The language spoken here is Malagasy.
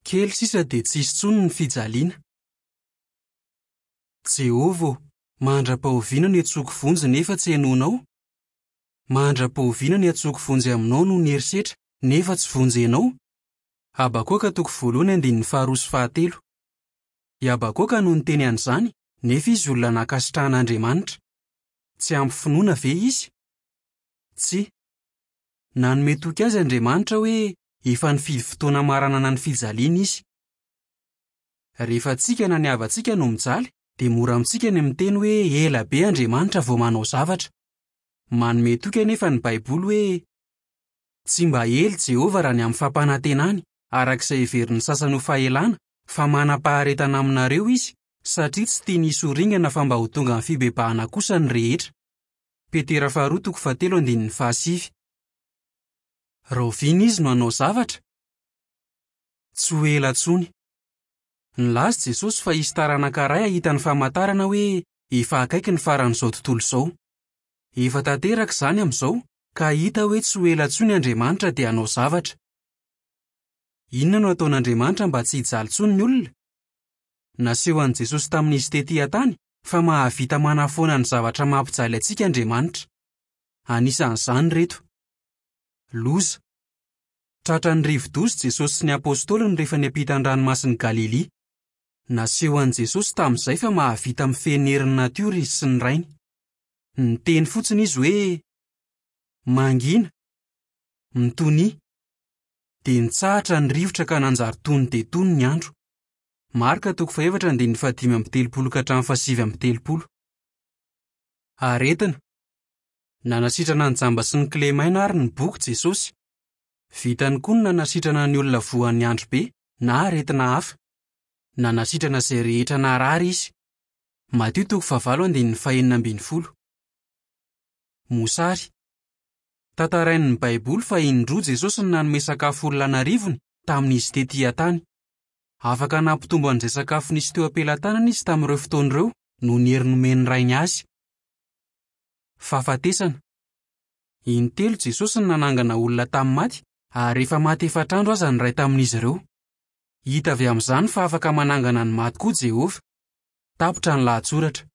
Kely sisa dia tsy hisy intsony ny fijaliana. Jehovah ô, mandra-pahoviana no iantsoako vonjy nefa tsy henoinao? Mandra-pahoviana no iantsoako vonjy aminao noho ny herisetra nefa tsy vonjenao? Habakoka toko voalohany andininy faharoa sy fahatelo. I Habakoka no niteny an'izany nefa izy olona nankasitrahan'Andriamanitra. Tsy ampy finoana ve izy? Tsia. Nanome toky azy Andriamanitra hoe efa nifidy fotoana hamaranana ny fijaliana izy. Rehefa tsika na ny havantsika no mijaly dia mora amintsika ny miteny hoe ela be Andriamanitra vao manao zavatra. Manome toky anefa ny Baiboly hoe, Tsy mba ela i Jehovah raha ny amin'ny fampanantenany, araka izay heverin'ny sasany ho fahelana, fa manam-paharetana aminareo izy, satria tsy tiany hisy ho ringana fa mba ho tonga amin'ny fibebahana kosa ny rehetra. Petera faharoa toko fahatelo andininy fahasivy. Rahoviana izy no hanao zavatra? Tsy ho ela intsony. Nilaza i Jesosy fa hisy taranaka iray hahita ny famantarana hoe efa akaiky ny faran'izao tontolo izao. Efa tanteraka izany amin'izao, ka hita hoe tsy ho ela intsony Andriamanitra dia hanao zavatra. Inona no hataon'Andriamanitra mba tsy hijaly intsony ny olona? Naseho an'i Jesosy tamin'izy tetỳ an-tany fa mahavita manafoana ny zavatra mampijaly antsika Andriamanitra. Anisan'izany ireto. Loza. Tratran'ny rivo-doza Jesosy sy ny apostoliny rehefa niampita ny Ranomasin'i Galilia. Naseho an'i Jesosy tamin'izay fa mahavita mifehy ny herin'ny natiora izy sy ny Rainy. Niteny fotsiny izy hoe, Mangina! Mitonia! Dia nitsahatra ny rivotra ka nanjary tony dia tony ny andro. Marka toko fahefatra andininy fahadimy amby telopolo ka hatramin'ny fahasivy amby telopolo. Aretina. Nanasitrana ny jamba sy ny kilemaina ary ny boky Jesosy. Vitany koa ny nanasitrana ny olona voan'ny androbe na aretina hafa. Nanasitrana izay rehetra narary izy. Matio toko fahavalo andininy fahenina ambin'ny folo. Mosary. Tantarain'ny Baiboly fa indroa Jesosy no nanome sakafo olona an'arivony tamin'izy tetỳ an-tany. Afaka nampitombo an'izay sakafo nisy teo am-pelatanana izy tamin'ireo fotoana ireo noho ny hery nomen'ny Rainy azy. Fahafatesana. Intelo Jesosy no nanangana olona tamin'ny maty ary efa maty efatra andro aza ny iray tamin'izy ireo. Hita avy amin'izany fa afaka manangana ny maty koa Jehovah. Tapitra ny lahatsoratra.